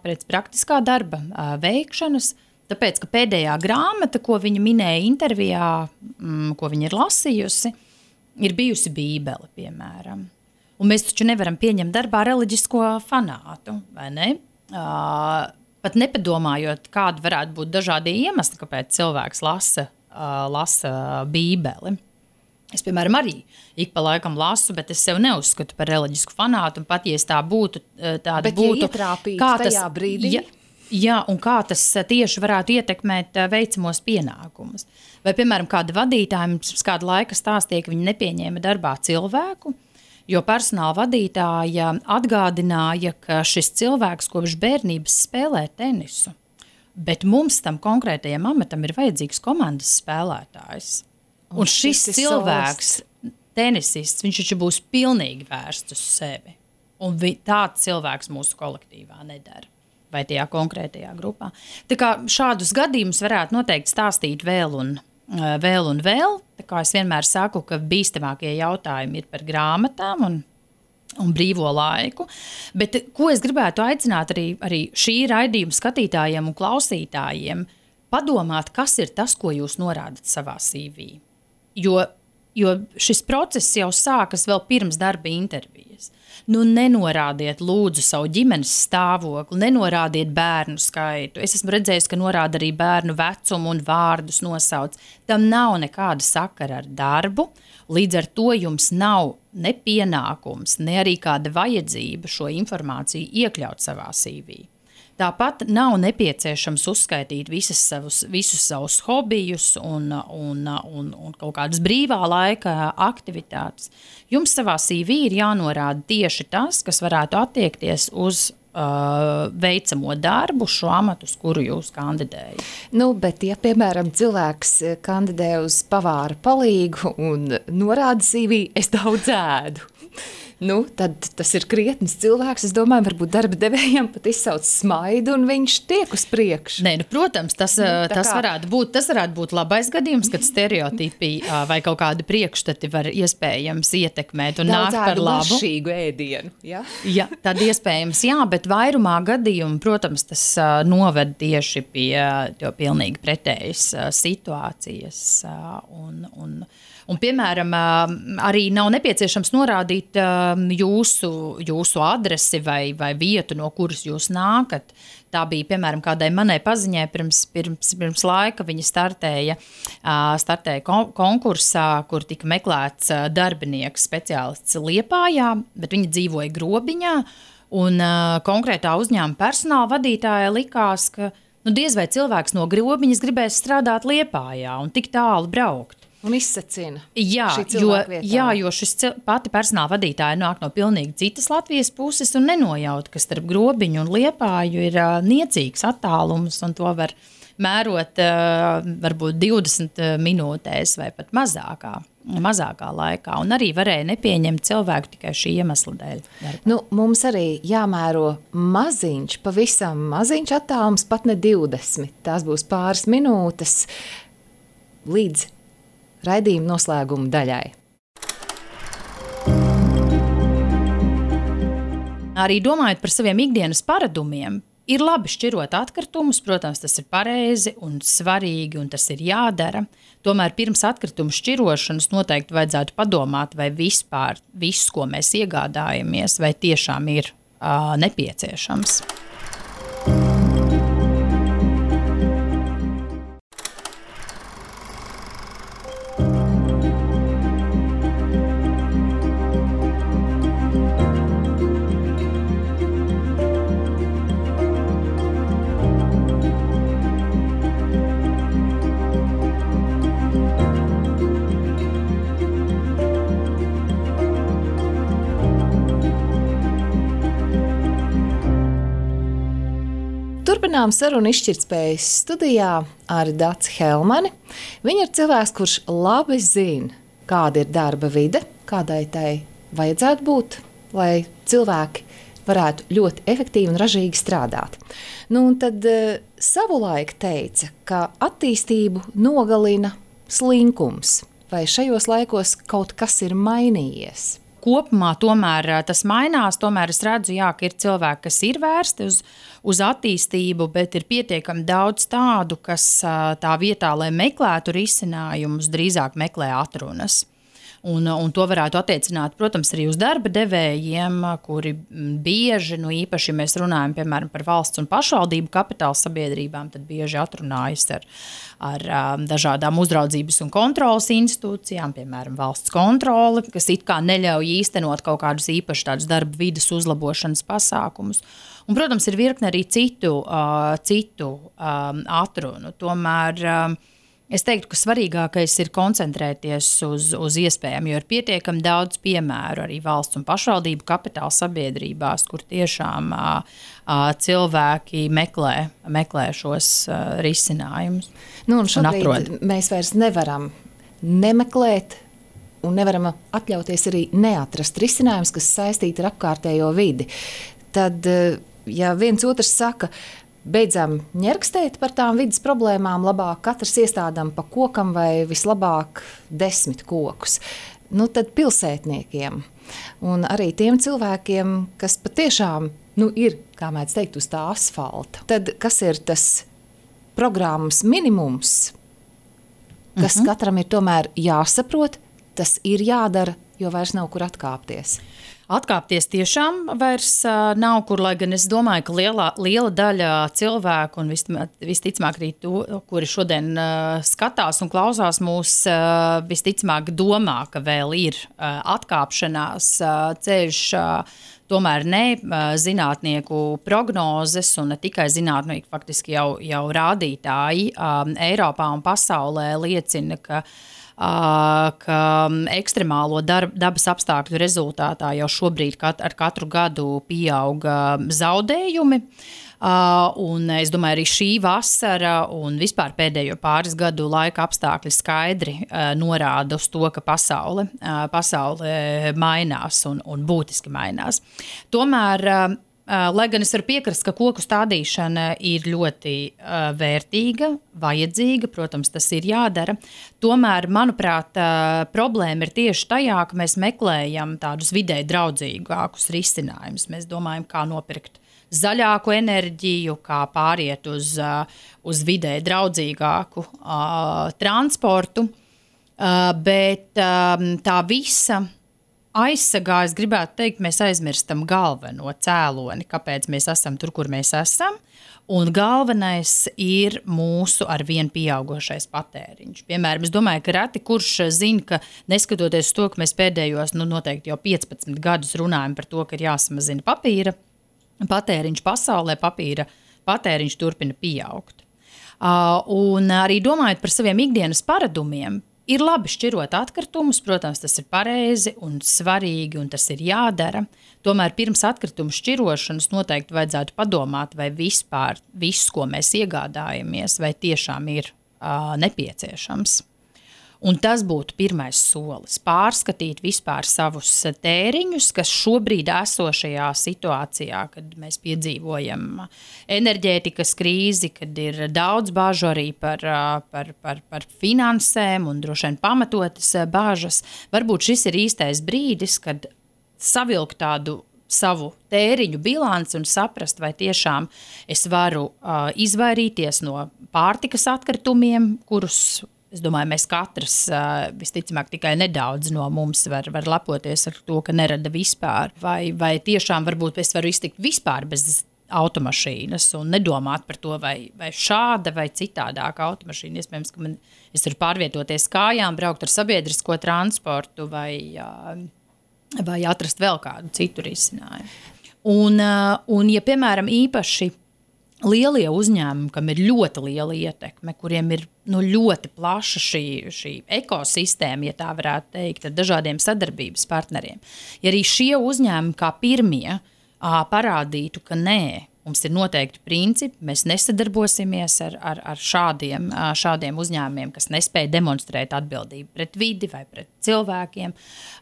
pēc praktiskā darba veikšanas, tāpēc, ka pēdējā grāmata, ko viņa minēja intervijā, mm, ko viņa ir lasījusi, ir bijusi Bībele, piemēram. Un mēs taču nevaram pieņemt darbā reliģisko fanātu, vai ne? Uh, pat nepadomājot, kādi varētu būt dažādi iemesli, kāpēc cilvēks lasa, uh, lasa Bībeli. Es, piemēram, arī ik pa laikam lasu, bet es sev neuzskatu par reliģisku fanātu, un pat, ja es tā būtu, tāda bet, būtu... Bet, ja ietrāpīt tajā brīdī... Ja, jā, un kā tas tieši varētu ietekmēt veicamos pienākumus. Vai, piemēram, kāda vadītāja mums kādu laika stāstīja, ka viņi nepieņēma darbā cilvēku, jo personāla vadītāja atgādināja, ka šis cilvēks kopš bērnības spēlē tenisu, bet mums tam konkrētajam amatam ir vajadzīgs komandas spēlētājs. Un, un šis cilvēks, tenisists, viņš taču būs pilnīgi vērsts uz sevi. Un vi, tāds cilvēks mūsu kolektīvā nedara. Vai tajā konkrētajā grupā. Tā kā šādus gadījumus varētu noteikti stāstīt vēl un vēl un vēl. Tā kā es vienmēr saku, ka bīstamākie jautājumi ir par grāmatām un, un brīvo laiku. Bet ko es gribētu aicināt arī, arī šī raidījuma skatītājiem un klausītājiem, padomāt, kas ir tas, ko jūs norādat savā C V. Jo, jo šis process jau sākas vēl pirms darba intervijas. Nu, nenorādiet lūdzu savu ģimenes stāvokli, nenorādiet bērnu skaitu. Es esmu redzējis, ka norāda arī bērnu vecumu un vārdus nosauc. Tam nav nekāda sakara ar darbu, līdz ar to jums nav ne pienākums, ne arī kāda vajadzība šo informāciju iekļaut savā C V. Tāpat nav nepieciešams uzskaitīt visas savus, visus savus hobijus un, un, un, un kaut kādas brīvā laika aktivitātes. Jums savā C V ir jānorāda tieši tas, kas varētu attiekties uz uh, veicamo darbu, šo amatu, uz kuru jūs kandidējat. Nu, bet, ja, piemēram, cilvēks kandidē uz pavāra palīgu un norāda C V, es daudz ēdu. Nu, tad tas ir krietns cilvēks. Es domāju, varbūt darba devējiem pat izsauc smaidu un viņš tiek uz priekšu. Nē, nu, protams, tas, nu, tas, varētu būt, tas varētu būt labais gadījums, kad stereotipi vai kaut kādi priekšstati var iespējams ietekmēt un nākt par labu. Daudz ēdu ēdienu, ja? Ja, tad iespējams, jā, bet vairumā gadījumu, protams, tas uh, noved tieši pie uh, pilnīgi pretējas uh, situācijas uh, un, un Un, piemēram, arī nav nepieciešams norādīt jūsu, jūsu adresi vai, vai vietu, no kuras jūs nākat. Tā bija, piemēram, kādai manai paziņai pirms, pirms, pirms laika. Viņa startēja, startēja konkursā, kur tika meklēts darbinieks speciālists Liepājā, bet viņa dzīvoja Grobiņā. Un konkrētā uzņēmuma personāla vadītāja likās, ka nu, diez vai cilvēks no Grobiņas gribēs strādāt Liepājā un tik tālu braukt. Un izsacina jā, jo, jā, jo šis pati personāla vadītāja nāk no pilnīgi citas Latvijas puses un nenojaut, ka starp Grobiņu un Liepāju ir uh, niecīgs attālums un to var mērot uh, varbūt divdesmit minūtēs vai pat mazākā, mazākā laikā. Un arī varēja nepieņemt cilvēku tikai šī iemesla dēļ. Nu, mums arī jāmēro maziņš, pavisam maziņš attālums, pat ne divdesmit. Tās būs pāris minūtes. līdz raidījuma noslēguma daļai. Arī domājot par saviem ikdienas paradumiem, ir labi šķirot atkritumus, protams, tas ir pareizi un svarīgi, un tas ir jādara. Tomēr pirms atkritumu šķirošanas noteikti vajadzētu padomāt, vai vispār viss, ko mēs iegādājamies, vai tiešām ir uh, nepieciešams. Turpinām sarunu izšķirtspējas studijā ar Daci Helmani. Viņa ir cilvēks, kurš labi zina, kāda ir darba vide, kādai tai vajadzētu būt, lai cilvēki varētu ļoti efektīvi un ražīgi strādāt. Nu, un tad uh, savulaik teica, ka attīstību nogalina slinkums. Vai šajos laikos kaut kas ir mainījies? Kopumā tomēr tas mainās, tomēr es redzu, jā, ka ir cilvēki, kas ir vērsti uz, uz attīstību, bet ir pietiekami daudz tādu, kas tā vietā, lai meklētu risinājumus, drīzāk meklē atrunas. Un, un to varētu attiecināt, protams, arī uz darba devējiem, kuri bieži, nu īpaši, ja mēs runājam, piemēram, par valsts un pašvaldību kapitāla sabiedrībām, tad bieži atrunājas ar, ar dažādām uzraudzības un kontrolas institūcijām, piemēram, valsts kontrole, kas it kā neļauj īstenot kaut kādus īpaši tādus darba vides uzlabošanas pasākumus. Un, protams, ir virkne arī citu, uh, citu um, atrunu. Tomēr um, es teiktu, ka svarīgākais ir koncentrēties uz, uz iespējām, jo ir pietiekami daudz piemēru arī valsts un pašvaldību kapitāla sabiedrībās, kur tiešām uh, uh, cilvēki meklē, meklē šos uh, risinājumus. Nu, un šobrīd un mēs vairs nevaram nemeklēt un nevaram atļauties arī neatrast risinājumus, kas saistīti ar apkārtējo vidi. Tad, ja viens otrs saka, beidzam ņerkstēt par tām vidas problēmām, labāk katrs iestādām pa kokam vai vislabāk desmit kokus. Nu, tad pilsētniekiem un arī tiem cilvēkiem, kas patiešām nu, ir, kā mēdz teikt, uz tā asfalta. Tad kas ir tas programmas minimums, kas mm-hmm. katram ir tomēr jāsaprot, tas ir jādara, jo vairs nav kur atkāpties. Atkāpties tiešām vairs uh, nav kur, lai gan es domāju, ka lielā, liela daļa cilvēku un visticamāk arī to, kuri šodien uh, skatās un klausās mūs, uh, visticamāk domā, ka vēl ir uh, atkāpšanās uh, ceļš, uh, tomēr ne uh, zinātnieku prognozes un ne tikai zinātnieki, faktiski jau, jau rādītāji um, Eiropā un pasaulē liecina, ka ka ekstremālo darb, dabas apstākļu rezultātā jau šobrīd kat, ar katru gadu pieauga zaudējumi. Uh, un es domāju, arī šī vasara un vispār pēdējo pāris gadu laika apstākļi skaidri uh, norāda uz to, ka pasaule, uh, pasaule mainās un, un būtiski mainās. Tomēr uh, Uh, lai gan es varu piekrist, ka koku stādīšana ir ļoti uh, vērtīga, vajadzīga, protams, tas ir jādara. Tomēr, manuprāt, uh, problēma ir tieši tajā, ka mēs meklējam tādus videi draudzīgākus risinājumus. Mēs domājam, kā nopirkt zaļāku enerģiju, kā pāriet uz, uh, uz videi draudzīgāku uh, transportu, uh, bet uh, tā visa aizsargā, es gribētu teikt, mēs aizmirstam galveno cēloni, kāpēc mēs esam tur, kur mēs esam, un galvenais ir mūsu arvien pieaugošais patēriņš. Piemēram, es domāju, ka reti kurš zina, ka neskatoties to, ka mēs pēdējos, nu noteikti jau piecpadsmit gadus runājam par to, ka ir jāsamazina papīra patēriņš pasaulē, papīra patēriņš turpina pieaugt. Uh, un arī domājot par saviem ikdienas paradumiem, ir labi šķirot atkritumus, protams, tas ir pareizi un svarīgi, un tas ir jādara. Tomēr pirms atkritumu šķirošanas noteikti vajadzētu padomāt, vai vispār viss, ko mēs iegādājamies, vai tiešām ir uh, nepieciešams. Un tas būtu pirmais solis – pārskatīt vispār savus tēriņus, kas šobrīd esošajā situācijā, kad mēs piedzīvojam enerģētikas krīzi, kad ir daudz bāžu arī par, par, par, par finansēm un droši vien pamatotas bāžas. Varbūt šis ir īstais brīdis, kad savilkt tādu savu tēriņu bilanci un saprast, vai tiešām es varu uh, izvairīties no pārtikas atkritumiem, kurus es domāju, mēs katrs, visticamāk, tikai nedaudz no mums var, var lepoties ar to, ka nerada vispār. Vai, vai tiešām varbūt es varu iztikt vispār bez automašīnas un nedomāt par to, vai, vai šāda vai citādāka automašīna. Iespējams, ka man, es varu pārvietoties kājām, braukt ar sabiedrisko transportu vai, vai atrast vēl kādu citu risinājumu. Un, un ja, piemēram, īpaši lielie uzņēmumi, kam ir ļoti liela ietekme, kuriem ir nu, ļoti plaša šī, šī ekosistēma, ja tā varētu teikt, ar dažādiem sadarbības partneriem. Ja arī šie uzņēmumi kā pirmie ā, parādītu, ka nē, mums ir noteikti principi, mēs nesadarbosimies ar, ar, ar šādiem, šādiem uzņēmumiem, kas nespēja demonstrēt atbildību pret vidi vai pret cilvēkiem.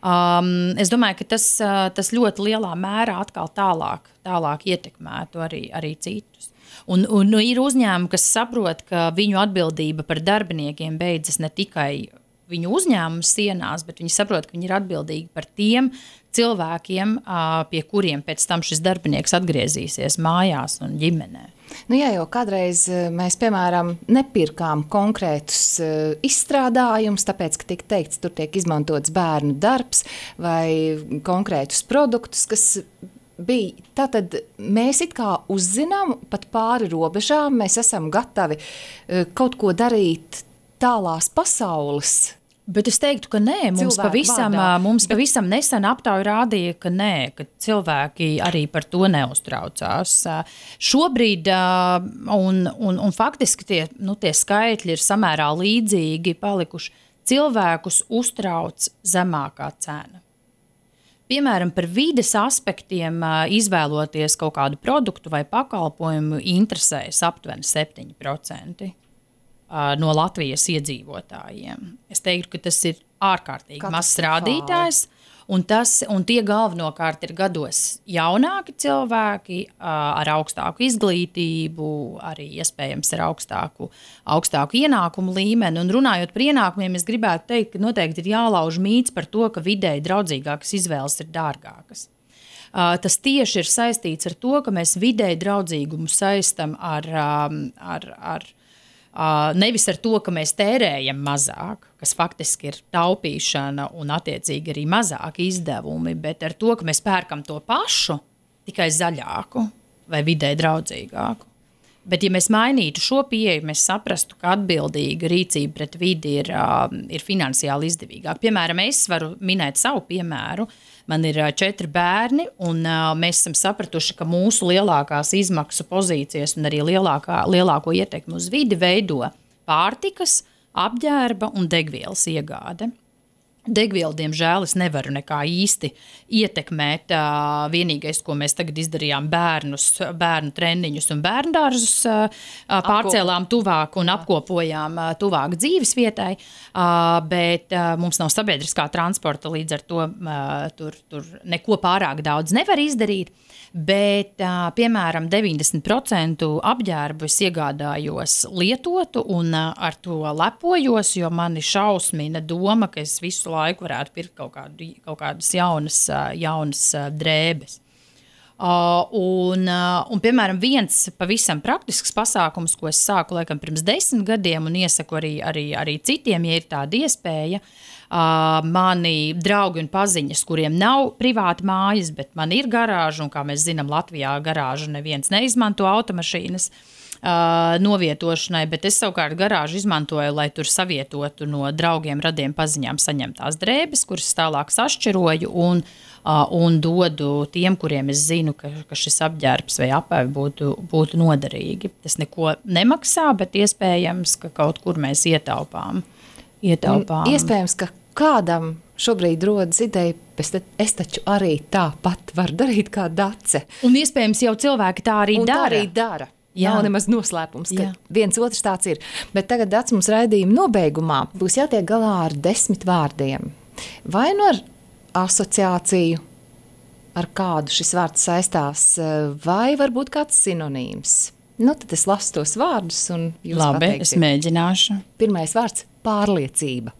Um, es domāju, ka tas, tas ļoti lielā mērā atkal tālāk, tālāk ietekmētu arī, arī citus. Un, un nu, ir uzņēmumi, kas saprot, ka viņu atbildība par darbiniekiem beidzas ne tikai viņu uzņēmumu sienās, bet viņi saprot, ka viņi ir atbildīgi par tiem cilvēkiem, pie kuriem pēc tam šis darbinieks atgriezīsies mājās un ģimenē. Nu jā, jo kādreiz mēs, piemēram, nepirkām konkrētus izstrādājumus, tāpēc, ka tiek teikts, tur tiek izmantots bērnu darbs vai konkrētus produktus, kas bija. Tātad mēs it kā uzzinām pat pāri robežām, mēs esam gatavi kaut ko darīt tālās pasaules. Bet es teiktu, ka nē, mums pavisam, mums pavisam nesen aptauja rādīja, ka nē, ka cilvēki arī par to neuztraucās. Šobrīd, un, un, un faktiski tie, nu, tie skaitļi ir samērā līdzīgi palikuši, cilvēkus uztrauc zemākā cena. Piemēram, par vides aspektiem izvēloties kaut kādu produktu vai pakalpojumu interesēs aptuveni septiņi procenti no Latvijas iedzīvotājiem. Es teiktu, ka tas ir ārkārtīgi mazs rādītājs, un, tas, un tie galvenokārt ir gados jaunāki cilvēki ar augstāku izglītību, arī iespējams ar augstāku, augstāku ienākumu līmeni. Un runājot par ienākumiem, es gribētu teikt, ka noteikti ir jālauž mīts par to, ka vidēji draudzīgākas izvēles ir dārgākas. Tas tieši ir saistīts ar to, ka mēs vidēji draudzīgumu saistam ar, ar, ar Uh, nevis ar to, ka mēs tērējam mazāk, kas faktiski ir taupīšana un attiecīgi arī mazāki izdevumi, bet ar to, ka mēs pērkam to pašu, tikai zaļāku vai vidē draudzīgāku. Bet ja mēs mainītu šo pieeju, mēs saprastu, ka atbildīga rīcība pret vidi ir, uh, ir finansiāli izdevīgāk. Piemēram, es varu minēt savu piemēru. Man ir četri bērni, un uh, mēs esam sapratuši, ka mūsu lielākās izmaksu pozīcijas un arī lielākā, lielāko ietekmi uz vidi veido pārtikas, apģērba un degvielas iegāde. Degvielu, diemžēl, es nevaru nekā īsti ietekmēt. Uh, vienīgais, ko mēs tagad izdarījām, bērnus, bērnu treniņus un bērndārzus uh, pārcēlām tuvāk un apkopojām uh, tuvāk dzīves vietai, uh, bet uh, mums nav sabiedriskā transporta, līdz ar to uh, tur, tur neko pārāk daudz nevar izdarīt. Bet, uh, piemēram, deviņdesmit procenti apģērbu es iegādājos lietotu un uh, ar to lepojos, jo mani šausmina doma, ka es visu laiku varētu pirkt kaut, kādu, kaut kādas jaunas, uh, jaunas uh, drēbes. Uh, un, uh, un, piemēram, viens pavisam praktisks pasākums, ko es sāku laikam pirms desmit gadiem un iesaku arī, arī, arī citiem, ja ir tāda iespēja, Uh, mani draugi un paziņas, kuriem nav privāti mājas, bet man ir garāža, un kā mēs zinām, Latvijā garāžu neviens neizmanto automašīnas uh, novietošanai, bet es savukārt garāžu izmantoju, lai tur savietotu no draugiem, radiem paziņām saņemtās drēbes, kuras tālāk sašķiroju un, uh, un dodu tiem, kuriem es zinu, ka, ka šis apģērbs vai apēvi būtu, būtu noderīgi. Tas neko nemaksā, bet iespējams, ka kaut kur mēs ietaupām. ietaupām. Iespējams, ka kādam šobrīd rodas ideja, bet es taču arī tāpat varu darīt kā Dace. Un iespējams jau cilvēki tā arī un dara. Tā arī dara. Jā. Nav nemaz noslēpums, ka Jā. viens otrs tāds ir. Bet tagad Dats mums raidījuma nobeigumā būs jātiek galā ar desmit vārdiem. Vai nu ar asociāciju, ar kādu šis vārds saistās, vai varbūt kāds sinonīms. Nu, tad es lasu tos vārdus un jūs Labi, pateiksiet. es mēģināšu. Pirmais vārds – pārliecība.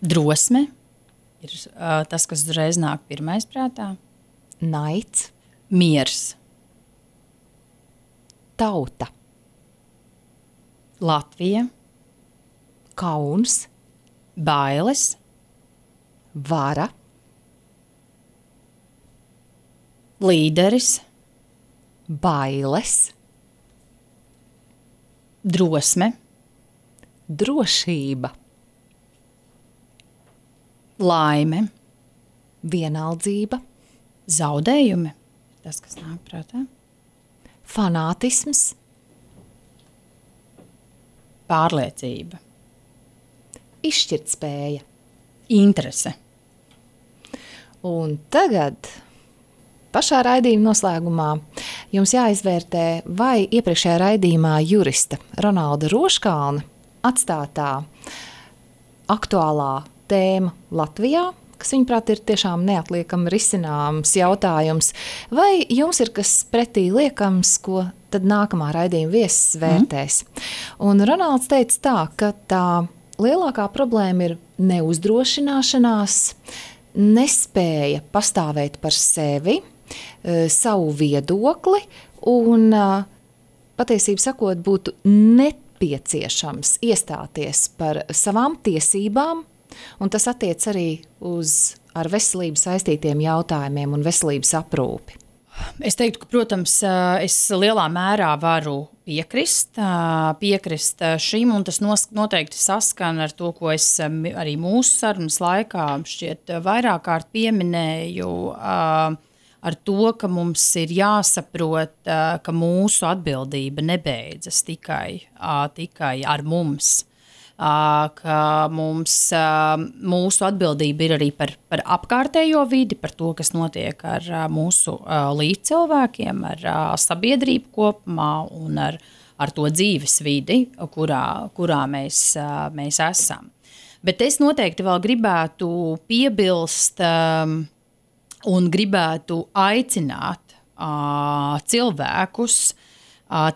Drosme ir uh, tas, kas uzreiz nāk pirmais prātā. Naids. Miers. Tauta. Latvija. Kauns. Bailes. Vara. Līderis. Bailes. Drosme. Drošība. Laime. Vienaldzība. Zaudējumi. Tas, kas nāk prātā. Fanātisms. Pārliecība. Izšķirtspēja. Interese. Un tagad pašā raidījuma noslēgumā jums jāizvērtē, vai iepriekšējā raidījumā jurista Ronalda Roškalna atstātā aktuālā tēma Latvijā, kas, viņuprāt, ir tiešām neatliekami risināms jautājums, vai jums ir kas pretī liekams, ko tad nākamā raidījuma viesis vērtēs. Mm. Un Ronalds teica tā, ka tā lielākā problēma ir neuzdrošināšanās, nespēja pastāvēt par sevi, savu viedokli un patiesību sakot būtu nepieciešams iestāties par savām tiesībām, un tas attiec arī uz ar veselību saistītiem jautājumiem un veselības aprūpi. Es teiktu, ka, protams, es lielā mērā varu piekrist, piekrist šim, un tas noteikti saskan ar to, ko es arī mūsu sarunas laikā šķiet vairāk kārt pieminēju, ar to, ka mums ir jāsaprot, ka mūsu atbildība nebeidzas tikai, tikai ar mums. Ka mums, mūsu atbildība ir arī par, par apkārtējo vidi, par to, kas notiek ar mūsu līdzcilvēkiem, ar sabiedrību kopumā un ar, ar to dzīves vidi, kurā, kurā mēs, mēs esam. Bet es noteikti vēl gribētu piebilst un gribētu aicināt cilvēkus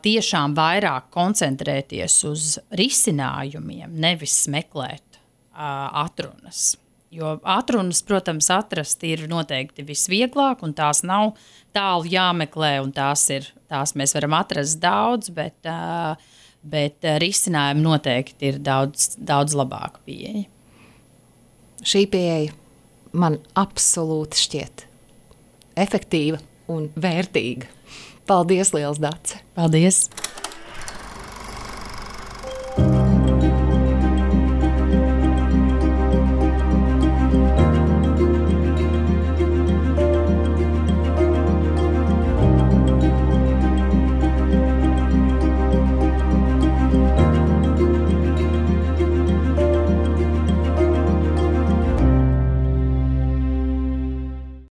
tiešām vairāk koncentrēties uz risinājumiem, nevis meklēt uh, atrunas. Jo atrunas, protams, atrast ir noteikti visvieglāk, un tās nav tālu jāmeklē, un tās, ir, tās mēs varam atrast daudz, bet, uh, bet risinājumi noteikti ir daudz, daudz labāka pieeja. Šī pieeja man absolūti šķiet efektīva un vērtīga. Paldies, liels Dace! Paldies!